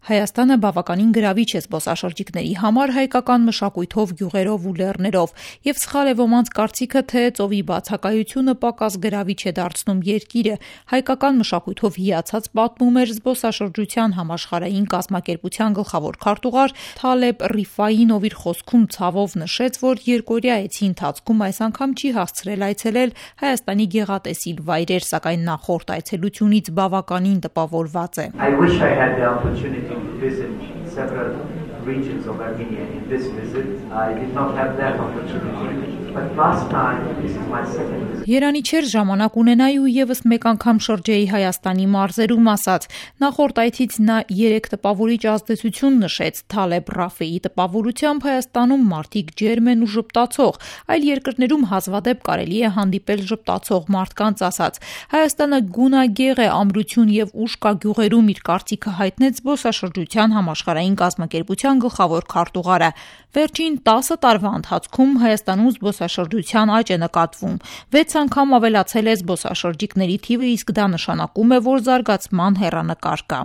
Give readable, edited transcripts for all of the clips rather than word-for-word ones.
Հայաստանը բավականին գրավիչ է զբոսաշրջիկների համար հայկական մշակույթով, գյուղերով ու լեռներով, եւ սխալ է ոմանց կարծիքը, թե ծովի բացակայությունը պակաս գրավիչ է դարձնում երկիրը։ Հայկական մշակույթով հիացած պատմում էր զբոսաշրջության համաշխարհային կազմակերպության գլխավոր քարտուղար Թալեբ Ռիֆային, ով իր խոսքում ցավով նշեց, որ երկօրյա այցի ընթացքում այս անգամ չի հասցրել այցելել Հայաստանի գեղատեսիլ վայրեր, սակայն նախորդ այցելությունից բավականին տպավորված է։ Visit several regions of Armenia in this visit. I did not have that opportunity, but last time, this is my second visit. Երանի չէր ժամանակ ունենայի ու եւս մեկ անգամ շրջեի Հայաստանի մարզերում, ասաց։ Նախորդ այցից նա 3 տպավորիչ ազդեցություն նշեց։ Թալեբ Ռաֆեի տպավորությամբ Հայաստանում մարդիկ ջերմ են ու ժպտացող, այլ երկրներում հազվադեպ կարելի է հանդիպել ժպտացող մարդկանց, ասաց։ Հայաստանը գունագեղ է, ամրություն եւ ուժ կա գյուղերում, իր կարծիքը հայտնեց զբոսաշրջության համաշխարհային կազմակերպության գլխավոր քարտուղարը։ Վերջին 10 տարվա ընթացքում Հայաստանում զբոսաշրջության աճ է նկատվում։ 6 անգամ ավելացել է զբոսաշրջիկների թիվը, իսկ դա նշանակում է, որ զարգացման հեռանկար կա։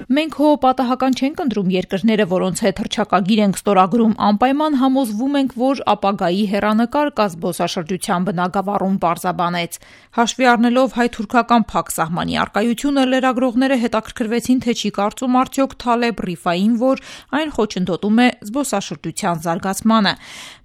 Մենք հո պատահական չենք ընտրում երկրները, որոնց հետ հռչակագիր ենք ստորագրում, անպայման համոզվում ենք, որ ապագայի հեռանկար կա զբոսաշրջության բնագավառում, պարզաբանեց։ Հաշվի առնելով հայ-թուրքական փակ սահմանի առկայությունը, լրագրողները հետաքրքրվեցին, թե չի կարծում արդյոք Թալեբ Ռիֆային, որ այն խոչընդոտում է զբոսաշրջության զարգացմանը։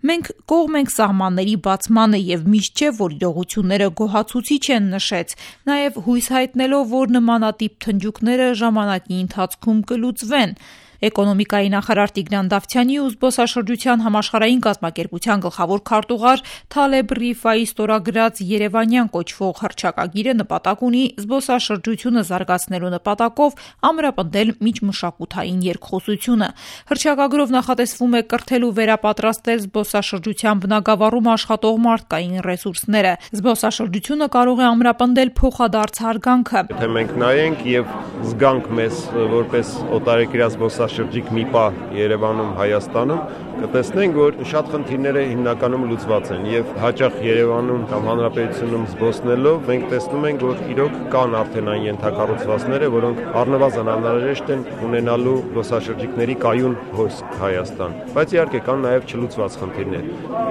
Մենք կողմ ենք սահմանների բացմանը եւ միշտ չէ, որ իրողությունները գոհացուցիչ են, նշեց, նաեւ հույս հայտնելով, որ նմանատիպ թնջուկները ժամանակի ընթացքում կլուծվեն։ Էկոնոմիկայի նախարար Տիգրան Դավթյանի ու զբոսաշրջության համաշխարհային կազմակերպության գլխավոր քարտուղար Թալեբ Ռիֆայի ստորագրած Երևանյան կոչվող հռչակագիրը նպատակ ունի զբոսաշրջությունը զարգացնելու նպատակով ամրապնդել միջմշակութային երկխոսությունը։ Հռչակագրով նախատեսվում է կրթել ու վերապատրաստել զբոսաշրջության բնագավառում աշխատող մարդկային ռեսուրսները։ Զբոսաշրջությունը կարող է ամրապնդել փոխադարձ հարգանքը։ Եթե մենք նայենք եւ զգանք մեզ որպես օտարերկրյա զբոսաշրջիկ մի պահ Երևանում, Հայաստանում, կտեսնենք, որ շատ խնդիրները հիմնականում լուծված են եւ հաճախ Երևանում կամ Հանրապետությունում զբոսնելով մենք տեսնում ենք, որ իրոք կան արդեն այն ենթակառուցվածքները, որոնք առնվազն անհրաժեշտ են ունենալու զբոսաշրջիկների կայուն հոսք Հայաստան։ Բայց իհարկե կան նաեւ չլուծված խնդիրներ։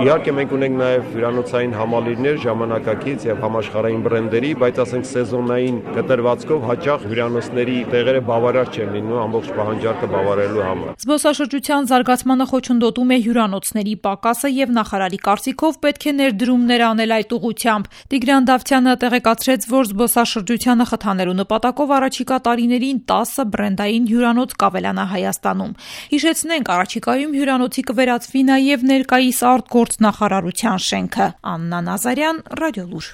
Իհարկե մենք ունենք նաեւ հյուրանոցային համալիրներ ժամանակակից եւ համաշխարհային բրենդերի, բայց ասենք սեզոնային կտրվածքով հաճախ հյուրանոցների տեղերը բավարար չեն լինում ամբողջ պահանջարկը բավարարելու համար։ Զբոսաշրջության զարգացմանը խոչընդոտում է հյուրանոցների պակասը եւ նախարարի կարծիքով պետք է ներդրումներ անել այդ ուղղությամբ։ Տիգրան Դավթյանը տեղեկացրեց, որ զբոսաշրջությանը խթանելու նպատակով առաջիկա տարիներին 10 բրենդային հյուրանոց կավելանա Հայաստանում։ Հիշեցնենք, առաջիկայում հյուրանոցի կվերածվի նաեւ ներկայիս արտգործնախարարության շենքը։ Աննա Նազարյան, Ռադիոլուր։